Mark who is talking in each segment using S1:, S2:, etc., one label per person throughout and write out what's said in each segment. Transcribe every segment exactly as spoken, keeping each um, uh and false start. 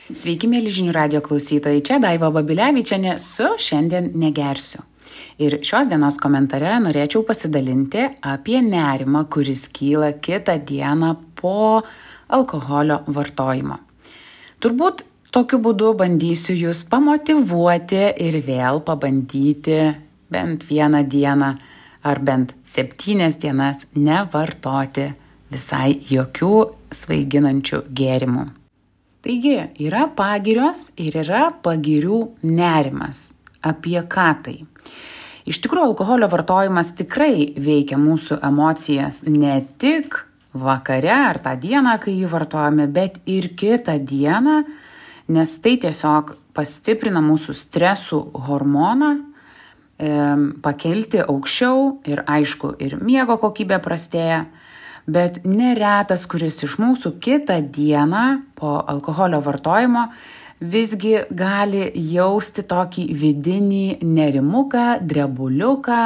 S1: Sveiki, mėly žinių radio klausytojai, čia Daiva Babilevičienė su Šiandien negersiu. Ir šios dienos komentare norėčiau pasidalinti apie nerimą, kuris kyla kitą dieną po alkoholio vartojimo. Turbūt tokiu būdu bandysiu jūs pamotyvuoti ir vėl pabandyti bent vieną dieną ar bent septynias dienas nevartoti visai jokių svaiginančių gėrimų. Taigi, yra pagirios ir yra pagirių nerimas. Apie ką tai? Iš tikrųjų, alkoholio vartojimas tikrai veikia mūsų emocijas ne tik vakare ar tą dieną, kai jį vartojame, bet ir kitą dieną, nes tai tiesiog pastiprina mūsų stresų hormoną, e, pakelti aukščiau ir aišku, ir miego kokybė prastėja. Bet neretas, kuris iš mūsų kitą dieną po alkoholio vartojimo visgi gali jausti tokį vidinį nerimuką, drebuliuką,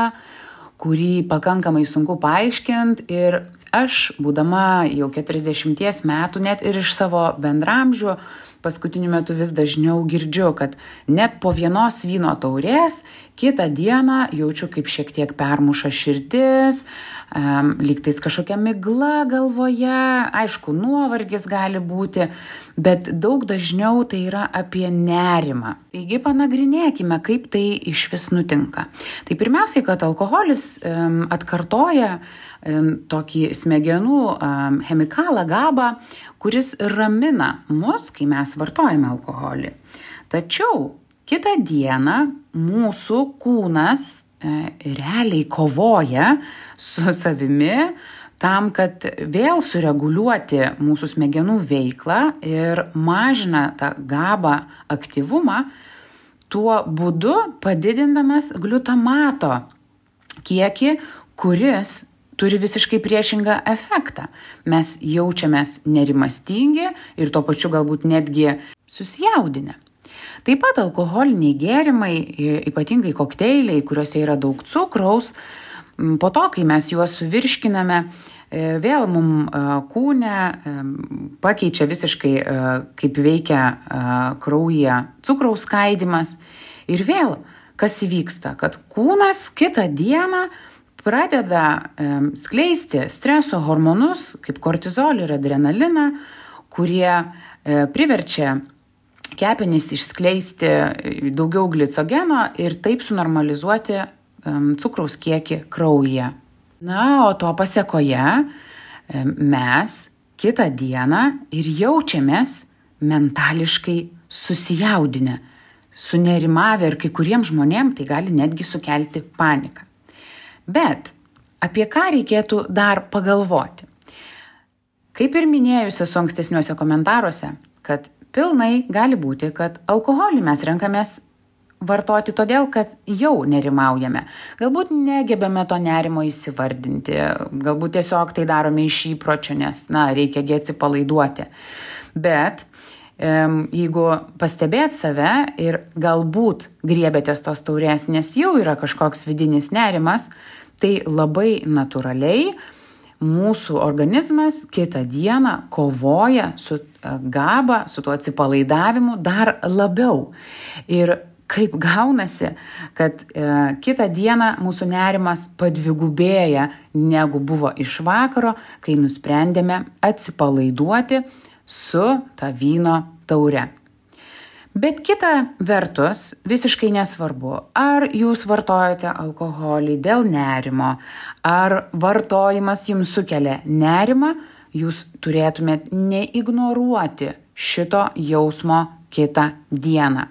S1: kurį pakankamai sunku paaiškinti. Ir aš, būdama jau keturiasdešimties metų, net ir iš savo bendramžių, paskutiniu metu vis dažniau girdžiu, kad net po vienos vyno taurės kitą dieną jaučiu, kaip šiek tiek permuša širdis, um, lygtais kažkokia migla galvoje, aišku, nuovargis gali būti, bet daug dažniau tai yra apie nerimą. Taigi panagrinėkime, kaip tai iš vis nutinka. Tai pirmiausiai, kad alkoholis um, atkartoja um, tokį smegenų um, chemikalą GABA, kuris ramina mus, kai mes vartojame alkoholį. Tačiau kitą dieną mūsų kūnas e, realiai kovoja su savimi tam, kad vėl sureguliuoti mūsų smegenų veiklą ir mažina tą GABA aktyvumą, tuo būdu padidindamas gliutamato kiekį, kuris turi visiškai priešingą efektą. Mes jaučiamės nerimastingi ir tuo pačiu galbūt netgi susijaudinę. Taip pat alkoholiniai gėrimai, ypatingai kokteiliai, kuriuose yra daug cukraus, po to, kai mes juos suvirškiname, vėl mums kūne pakeičia visiškai, kaip veikia kraujyje cukraus skaidymas. Ir vėl, kas įvyksta, kad kūnas kitą dieną pradeda skleisti streso hormonus, kaip kortizolį ir adrenaliną, kurie priverčia kepenys išskleisti daugiau glicogeno ir taip sunormalizuoti cukraus kiekį kraujyje. Na, o to pasėkoje mes kitą dieną ir jaučiamės mentališkai susijaudinę, sunerimavę ir kai kuriems žmonėms tai gali netgi sukelti paniką. Bet apie ką reikėtų dar pagalvoti? Kaip ir minėjusi su ankstesniuose komentaruose, kad pilnai gali būti, kad alkoholį mes renkamės vartoti todėl, kad jau nerimaujame. Galbūt negebame to nerimo įsivardinti, galbūt tiesiog tai darome iš įpročio, nes, na, reikia gi atsipalaiduoti. Bet jeigu pastebėt save ir galbūt griebėtės tos taurės, nes jau yra kažkoks vidinis nerimas, tai labai natūraliai mūsų organizmas kitą dieną kovoja su GABA, su tuo atsipalaidavimu dar labiau. Ir kaip gaunasi, kad e, kitą dieną mūsų nerimas padvigubėja negu buvo iš vakaro, kai nusprendėme atsipalaiduoti su ta vyno taure. Bet kita vertus, visiškai nesvarbu, ar jūs vartojate alkoholį dėl nerimo, ar vartojimas jums sukelia nerimą, jūs turėtumėt neignoruoti šito jausmo kitą dieną.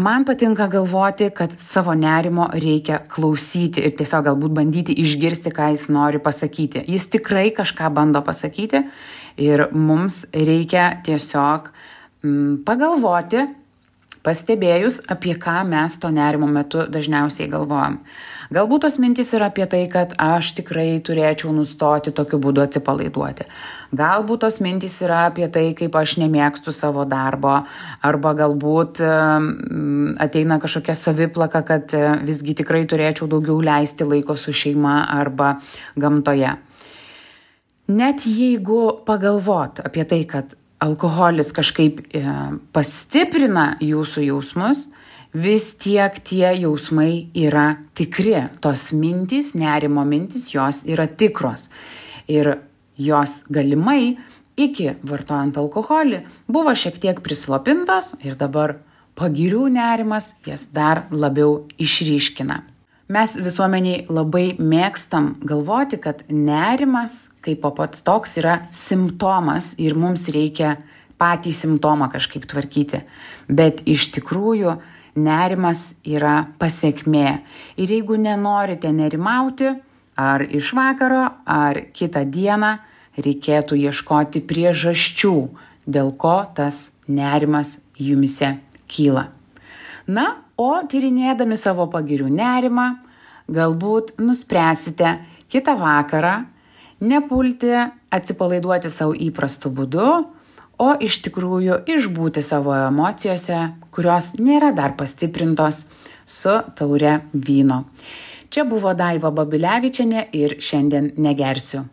S1: Man patinka galvoti, kad savo nerimo reikia klausyti ir tiesiog galbūt bandyti išgirsti, ką jis nori pasakyti. Jis tikrai kažką bando pasakyti ir mums reikia tiesiog mm, pagalvoti, pastebėjus, apie ką mes to nerimo metu dažniausiai galvojam. Galbūt tos mintys yra apie tai, kad aš tikrai turėčiau nustoti tokiu būdu atsipalaiduoti. Galbūt tos mintys yra apie tai, kaip aš nemėgstu savo darbo, arba galbūt ateina kažkokia saviplaka, kad visgi tikrai turėčiau daugiau leisti laiko su šeima arba gamtoje. Net jeigu pagalvot apie tai, kad alkoholis kažkaip e, pastiprina jūsų jausmus, vis tiek tie jausmai yra tikri. Tos mintys, nerimo mintys, jos yra tikros. Ir jos galimai iki vartojant alkoholį buvo šiek tiek prislopintos ir dabar pagirių nerimas jas dar labiau išryškina. Mes visuomeniai labai mėgstam galvoti, kad nerimas kaip pats toks yra simptomas ir mums reikia patį simptomą kažkaip tvarkyti. Bet iš tikrųjų nerimas yra pasekmė. Ir jeigu nenorite nerimauti, ar iš vakaro, ar kitą dieną, reikėtų ieškoti priežasčių, dėl ko tas nerimas jumise kyla. Na, o tyrinėdami savo pagirių nerimą, galbūt nuspręsite kitą vakarą nepulti atsipalaiduoti savo įprastu būdu, o iš tikrųjų išbūti savo emocijose, kurios nėra dar pastiprintos su taure vyno. Čia buvo Daiva Babilevičienė ir šiandien negersiu.